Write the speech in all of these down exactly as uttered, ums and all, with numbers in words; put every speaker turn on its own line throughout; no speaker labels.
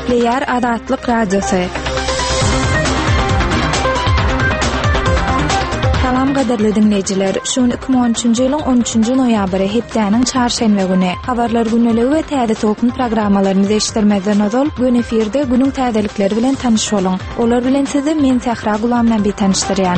Gepleýär Azatlyk Radiosy. Salam gadyrly diňleýjiler. Şu gün iki müň on üçünji ýylyň on üçünji noýabry, hepdäniň çarşenbe güni. Habarlar gündeligi we täze tolkun programmalarymyzy eşitdirmezden ozal, gün efirde günüň täzelikleri bilen tanyş boluň. Olar bilen sizi men Sähra Gulamnabi tanyşdyrýan.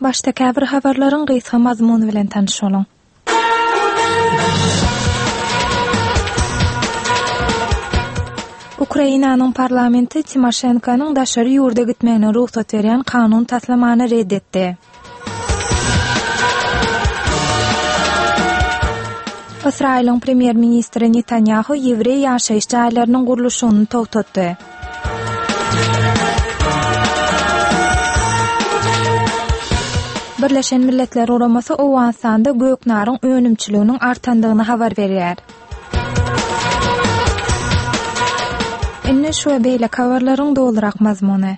Başda käbir habarlaryň gysga mazmuny bilen tanyş boluň. Ukrainanyň parlamenti Timoşenkonyň daşary ýurda gitmegine rugsat berýän kanun taslamany red etdi. Ysraýylyň premýer-ministri Netanýahu ýewreý ýaşaýyş jaýlarynyň gurluşygyny togtatdy. Birleşen Milletler Guramasy Owganystanda göknaryň önümçiliginiň artandygyny habar berýär. Indi şu we beýleki habarlaryň dolurak mazmuny.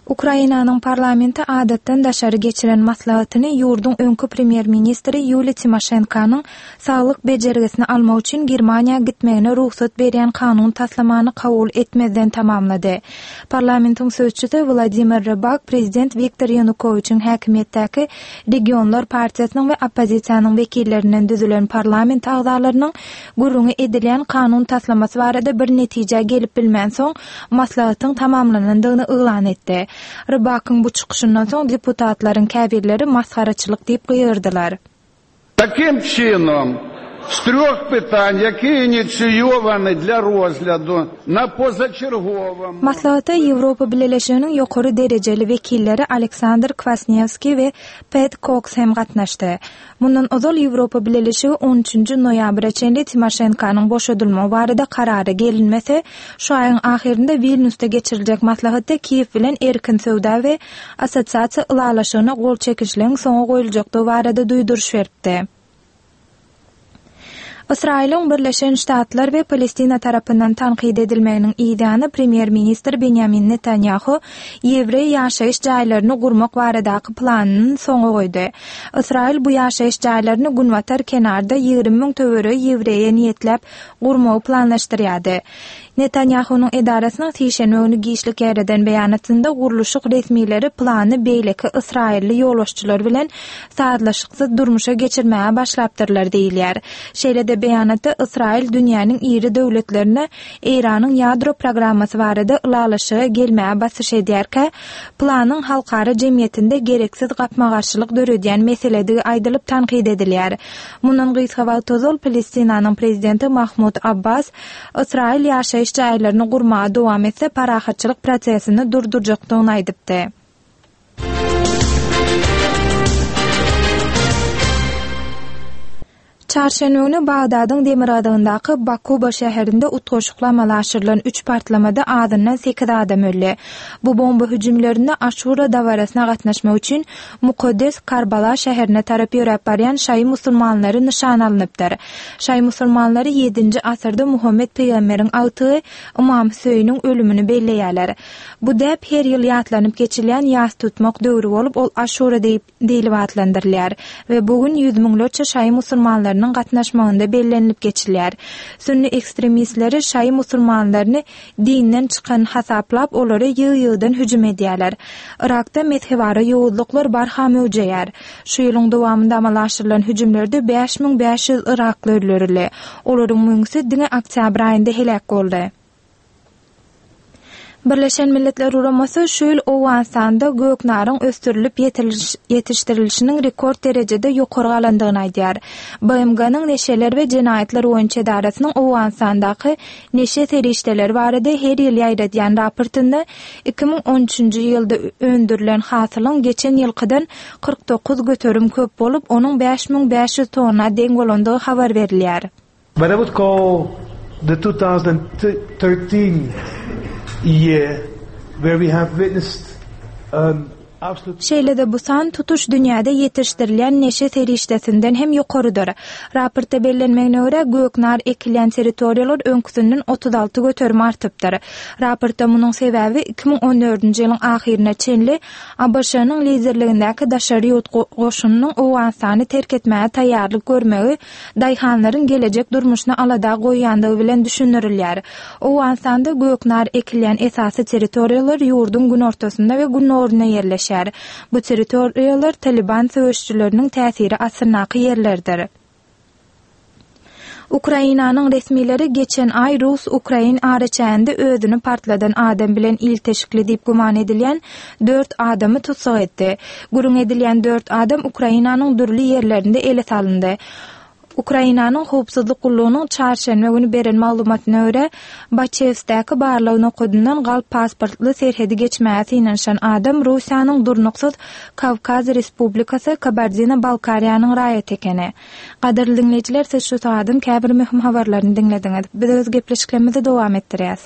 Ukrainanyň parlamenti adatdan daşary geçiren maslahatyny ýurduň öňki premýer-ministri Ýuliýa Timoşenkonyň saglyk bejergisini almak üçin Germaniýa gitmegine rugsat berýän kanun taslamany kabul etmezden tamamlady. Parlamentiň sözçüsi Wladimir Rybak prezident Wiktor Ýanukowiçiň häkimiýetdäki Regionlar partiýasynyň we oppozisiýanyň wekillerinden düzülen parlament agzalarynyň gürrüňi edilýän kanun taslamasy barada bir netijä gelip bilmänsoň maslahatyň tamamlanandygyny yglan etdi. Rybakyň bu çykyşyndan soň deputatlaryň käbirleri masgaraçylyk diýip gygyrdylar.
Таким чином, з трьох питань, які ініційовані для розгляду на позачерговому
Maslahata Ýewropa Bileleşiginiň ýokary derejeli wekilleri Aleksandr Kwasniewski we Pet Koks hem gatnaşdy. Mundan ozal Ýewropa Bileleşigi on üçünji noýabra çenli Timoşenkonyň boşadylmagy barada karara gelinmese, şu aýyň ahyrynda Wilnýusda geçiriljek maslahatda Kiýew bilen erkin söwda we assosiasiýa ylalaşygyna gol çekişligiň soňa goýuljakdygy barada duýduryş beripdi. Ysraýylyň Birleşen Ştatlar we Palestina tarapyndan tankyt edilmeginiň ýany premýer-ministr Benýamin Netanýahu ýewreý ýaşaýyş jaýlaryny gurmak baradaky planyny soňa goýdy. Ysraýyl bu ýaşaýyş jaýlaryny günbatar kenarda ýigrimi müň töweregi ýewreýe niýetläp gurmagy planlaşdyrýardy. Netanýahunyň edarasynyň sişenbe güni giçlik ýereden beýanatynda gurluşyk resmileri plany beýleki Ysraýylly ýolbaşçylar bilen sazlaşyksyz durmuşa geçirmäge başlapdyrlar diýilýär. Şeýle-de beýanatda Ysraýyl dünýäniň iri döwletlerine Eýranyň ýadro programmasy barada ylalaşyga gelmäge basyş edýärkä, planyň halkara jemgyýetinde gereksiz gapma-garşylyk döredýän meseledigi aýdylyp tankyt edilýär. Mundan gysga wagt ozal Palestinanyň prezidenti Mahmud Abbas Ysraýyl ýaşaýyş jaýlaryny gurmaga dowam etse parahatçylyk prosesini durdurjakdygyny aýdypdy. Çarşenbe güni Bagdadyň demirgazygyndaky Bakuba şäherinde utgaşykly amala aşyrylan üç partlamada azyndan sekiz adam öldi. Bu bomba hüjümlerinde Aşura dabarasyna gatnaşmak üçin mukaddes Karbala şäherine tarap ýöräp barýan şaýy musulmanlary nyşan alnypdyr. Şaýy musulmanlary ýedinji asyrda Muhammed peýgamberiň agtygy Imam Hüseýiniň ölümini belleýärler. Bu däp her ýyl ýatlanyp geçilýän ýas tutmak döwri bolup, ol Aşura diýip diýlip atlandyrylýar we bu gün ýüz müňlerçe şaýy musulmanlarynyň gatnaşmagynda bellenilip geçilýär. Sünni ekstremistleri şaýy musulmanlaryny dinden çykan hasaplap, olary ýygy-ýygydan hüjüm edýärler. Irakda mezhebara ýowuzlyklar barha möwjeýär. Şu ýylyň dowamynda amala aşyrylan hüjümlerde bäş müň bäş ýüz Irakly öldürildi. Olaryň müňüsi diňe oktýabr aýynda heläk boldy. Birleşen Milletler Guramasy şu ýyl Owganystanda göknaryň ösdürilip ýetişdirilişiniň rekord derejede ýokary galandygyny aýdýar. B M G-nyň neşeler we jenaýatlar boýunça edarasynyň Owganystandaky neşe serişdeleri barada her ýyl ýaýradýan raportynda iki müň on üçünji ýylda öndürilen hasylyň geçen ýylkydan kyrk dokuz göterim köp bolup, onuň bäş müň bäş ýüz tonna deň bolandygy habar berilýär.
But I would call the two thousand thirteen year where we have witnessed, um, Absolute
Şeýle-de bu san tutuş dünýäde ýetişdirilýän neşe serişdesinden hem ýokarydyr. Raportda bellenmegine görä, göknar ekilýän territoriýalar öňküsinden otuz alty göterim artypdyr. Raportda munuň sebäbi iki müň on dördünji ýylyň ahyryna çenli A B Ş-nyň liderligindäki daşary ýurt goşunynyň Owganystany terk etmäge taýýarlyk görmegi daýhanlaryň gelejek durmuşyna alada goýýandygy bilen düşündirilýär. Owganystanda göknar ekilýän esasy territoriýalar ýurduň günortasynda we günorunda ýerleşýär. Bu territoriýalar Taliban söweşçileriniň täsiri astyndaky ýerlerdir. Ukrainanyň resmileri geçen aý Rus-Ukrain araçäginde özüni partladan adam bilen ilteşikli diýip güman edilýän dört adamy tussag etdi. Gürrüň edilýän dört adam Ukrainanyň dürli ýerlerinde ele salyndy. Ukrainanyň howpsuzlyk gullugynyň çarşenbe güni beren maglumatyna görä, Baçewsdäki barlag nokadyndan galp pasportly serhedi geçmäge synanyşan adam Russiýanyň durnuksyz Kawkaz Respublikasy Kabardino-Balkariýanyň raýaty ekeni. Gadyrly diňleýjiler, siz şu sagadyň käbir möhüm habarlaryny diňlediňiz. Biz öz gepleşiklerimizi dowam etdirýäs.